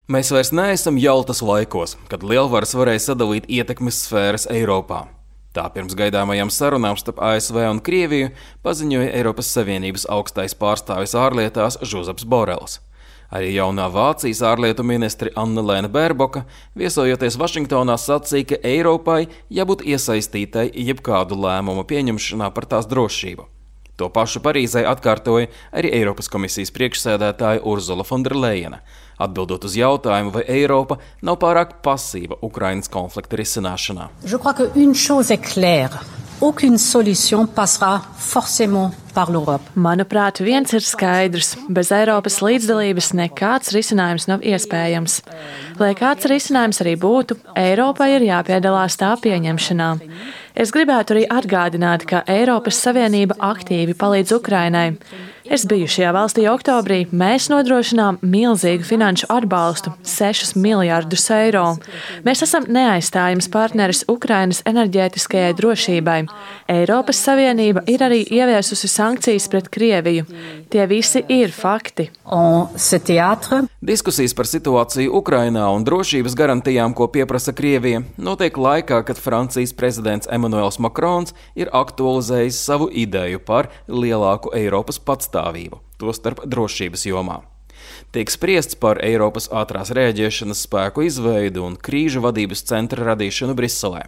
Mēs vairs neesam jaltas laikos, kad lielvaras varēja sadalīt ietekmes sfēras Eiropā. Tā pirms gaidāmajām sarunām starp ASV un Krieviju paziņoja Eiropas Savienības augstais pārstāvis ārlietās Žozeps Borels. Arī jaunā Vācijas ārlietu ministre Annelēna Bērboka, viesojoties Vašingtonā, sacīja, ka Eiropai jābūt iesaistītai jebkādu lēmumu pieņemšanā par tās drošību. To pašu Parīzē atkārtoja arī Eiropas komisijas priekšsēdētāja Urzula Fonderlejena, atbildot uz jautājumu, vai Eiropa nav pārāk pasīva Ukrainas konflikta risināšanā. Je crois qu'une chose est claire. Aucune solution passera forcément par l'Europe. Manuprāt, viens ir skaidrs. Bez Eiropas līdzdalības nekāds risinājums nav iespējams. Lai kāds risinājums arī būtu, Eiropai ir jāpiedalās tā pieņemšanā. Es gribētu arī atgādināt, ka Eiropas Savienība aktīvi palīdz Ukrainai. Es biju šajā valstī oktobrī. Mēs nodrošinām milzīgu finanšu atbalstu – 6 miljardus eiro. Mēs esam neaizstājams partneris Ukrainas enerģētiskajai drošībai. Eiropas Savienība ir arī ieviesusi sankcijas pret Krieviju. Tie visi ir fakti. Diskusijas par situāciju Ukrainā un drošības garantijām, ko pieprasa Krievija, notiek laikā, kad Francijas prezidents Emmanuels Macrons ir aktualizējis savu ideju par lielāku Eiropas patstāvību, tostarp drošības jomā. Tiek spriests par Eiropas ātrās rēģēšanas spēku izveidu un krīžu vadības centra radīšanu Briselē.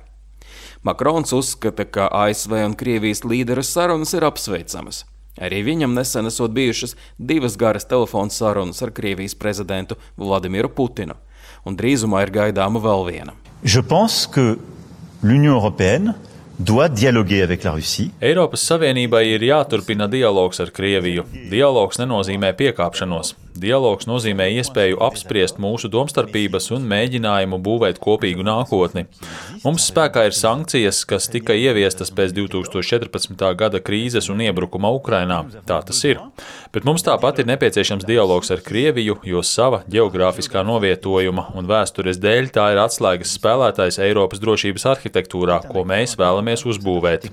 Macrons uzskata, ka ASV un Krievijas līderu sarunas ir apsveicamas. Arī viņam nesen esot bijušas 2 garas telefona sarunas ar Krievijas prezidentu Vladimiru Putinu, un drīzumā ir gaidāma vēl viena. Je pense que l'Union européenne doit dialoguer avec la Russie. Eiropas Savienībai ir jāturpina dialogs ar Krieviju. Dialogs nenozīmē piekāpšanos. Dialogs nozīmē iespēju apspriest mūsu domstarpības un mēģinājumu būvēt kopīgu nākotni. Mums spēkā ir sankcijas, kas tika ieviestas pēc 2014. gada krīzes un iebrukuma Ukrainā. Tā tas ir. Bet mums tāpat ir nepieciešams dialogs ar Krieviju, jo sava ģeogrāfiskā novietojuma un vēstures dēļ tā ir atslēgas spēlētājs Eiropas drošības arhitektūrā, ko mēs vēlamies uzbūvēt.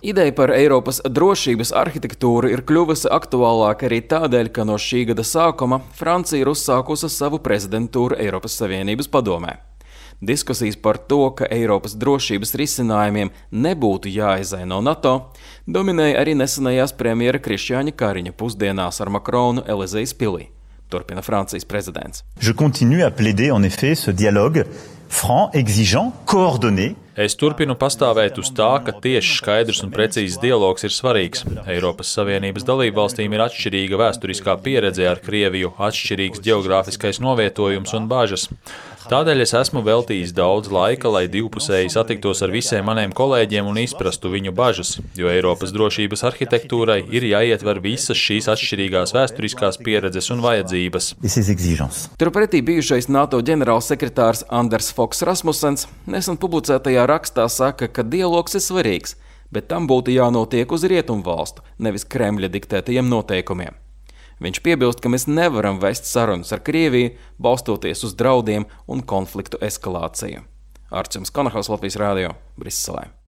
Ideja par Eiropas drošības arhitektūru ir kļuvusi aktuālāka arī tādēļ, ka no šī gada sākuma Francija ir uzsākusi savu prezidentūru Eiropas Savienības padomē. Diskusijas par to, ka Eiropas drošības risinājumiem nebūtu jāizai no NATO, dominēja arī nesenajās premjera Krišjāņa Kariņa pusdienās ar Macronu Elizejas pilī, turpina Francijas prezidents. Je continue à plaider en effet ce dialogue franc, exigeant, coordonné. Es turpinu pastāvēt uz tā, ka tieši skaidrs un precīzs dialogs ir svarīgs. Eiropas Savienības dalībvalstīm ir atšķirīga vēsturiskā pieredze ar Krieviju, atšķirīgs ģeogrāfiskais novietojums un bažas. Tādēļ es esmu veltījis daudz laika, lai divpusēji satiktos ar visiem maniem kolēģiem un izprastu viņu bažas, jo Eiropas drošības arhitektūrai ir jāietver visas šīs atšķirīgās vēsturiskās pieredzes un vajadzības. Turpretī bijušais NATO ģenerālsekretārs Anders Fogh Rasmussens nesen publicētajā rakstā saka, ka dialogs ir svarīgs, bet tam būtu jānotiek uz rietumvalstu, nevis Kremļa diktētajiem noteikumiem. Viņš piebilst, ka mēs nevaram vest sarunas ar Krieviju, balstoties uz draudiem un konfliktu eskalāciju. Arčuns Konahaus, Latvijas Rādio, Briselē.